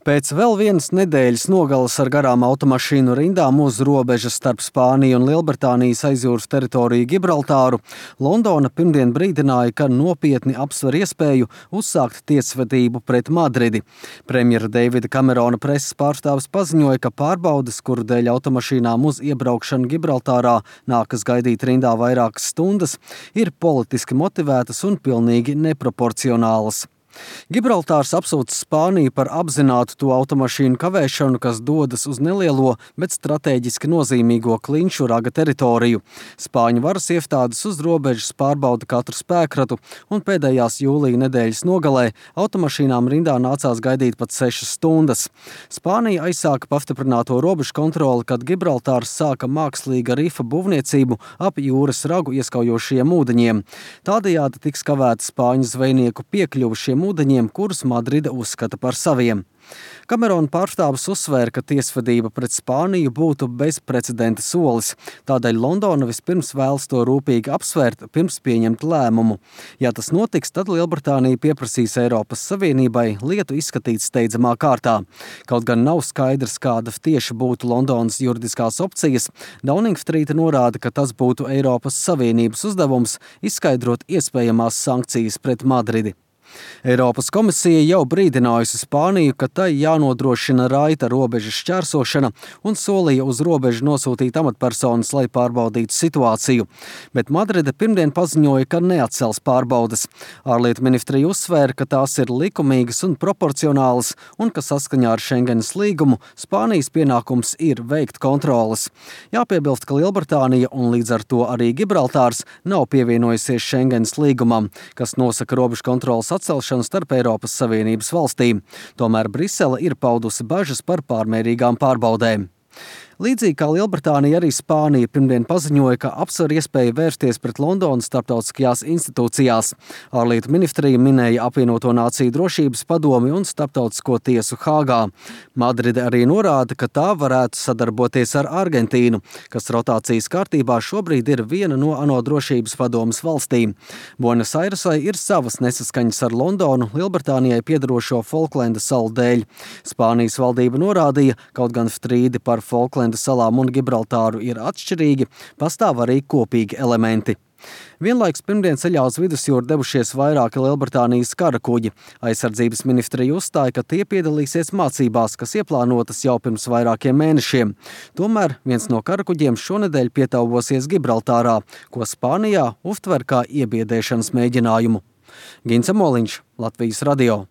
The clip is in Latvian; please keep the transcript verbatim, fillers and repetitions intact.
Pēc vēl vienas nedēļas nogales ar garām automašīnu rindām uz robežas starp Spāniju un Lielbritānijas aizjūras teritoriju Gibraltāru, Londona pirmdien brīdināja, ka nopietni apsver iespēju uzsākt tiesvedību pret Madridi. Premjera Deivida Kamerona preses pārstāvis paziņoja, ka pārbaudes, kuru dēļ automašīnām uz iebraukšanu Gibraltārā nākas gaidīt rindā vairākas stundas, ir politiski motivētas un pilnīgi neproporcionālas. Gibraltārs apsūdz Spāniju par apzinātu to automašīnu kavēšanu, kas dodas uz nelielo, bet stratēģiski nozīmīgo Klinšu raga teritoriju. Spāņu varas iestādes uz robežas pārbauda katru spēkratu, un pēdējās jūlija nedēļas nogalē automašīnām rindā nācās gaidīt pat sešas stundas. Spānija aizsāka pastiprināto robežu kontroli, kad Gibraltārs sāka mākslīga rifa būvniecību ap jūras ragu ieskaujošiem ūdeņiem. Tādējādi tiks kavēta spāņu zvejnieku piekļuva šiem ūdeņiem, kurus Madrida uzskata par saviem. Kamerona pārstāvis uzsvēra, ka tiesvedība pret Spāniju būtu bezprecedenta solis. Tādēļ Londona vispirms vēlas to rūpīgi apsvērt, pirms pieņemt lēmumu. Ja tas notiks, tad Lielbritānija pieprasīs Eiropas Savienībai lietu izskatīt steidzamā kārtā. Kaut gan nav skaidrs, kāda tieši būtu Londonas juridiskās opcijas, Downing Street norāda, ka tas būtu Eiropas Savienības uzdevums izskaidrot iespējamās sankcijas pret Madridi. Eiropas komisija jau brīdinājusi Spāniju, ka tai jānodrošina raita robežas šķērsošana un solīja uz robežu nosūtīt amatpersonas, lai pārbaudītu situāciju. Bet Madride pirmdien paziņoja, ka neatcels pārbaudes. Ārlietu ministrija uzsvēra, ka tās ir likumīgas un proporcionālas un ka saskaņā ar Schengenas līgumu Spānijas pienākums ir veikt kontroles. Jāpiebilst, ka Lielbritānija un līdz ar to arī Gibraltārs nav pievienojusies Schengenas līgumam, kas nosaka robežu kontroles atcelšanu starp Eiropas Savienības valstīm. Tomēr Brisele ir paudusi bažas par pārmērīgām pārbaudēm. Līdzīgi kā Lielbritānija, arī Spānija pirmdien paziņoja, ka apsver iespēju vērsties pret Londonas starptautiskajās institūcijās. Ārlietu ministrija minēja apvienoto nāciju drošības padomi un starptautisko tiesu Hāgā. Madride arī norāda, ka tā varētu sadarboties ar Argentīnu, kas rotācijas kārtībā šobrīd ir viena no ANO drošības padomes valstīm. Buenos Airesai ir savas nesaskaņas ar Londonu Lielbritānijai piedarošo Folklenda salu dēļ. Spānijas valdība norādīja, kaut gan strīdi par Folklenda salām un Gibraltāru ir atšķirīgi, pastāv arī kopīgi elementi. Vienlaikus pirmdien ceļā uz vidusjūru devušies vairāki Lielbritānijas karakuģi. Aizsardzības ministrija uzstāja, ka tie piedalīsies mācībās, kas ieplānotas jau pirms vairākiem mēnešiem. Tomēr viens no karakuģiem šonedēļ pietauvosies Gibraltārā, ko Spānijā uztver kā iebiedēšanas mēģinājumu. Gints Amoliņš, Latvijas radio.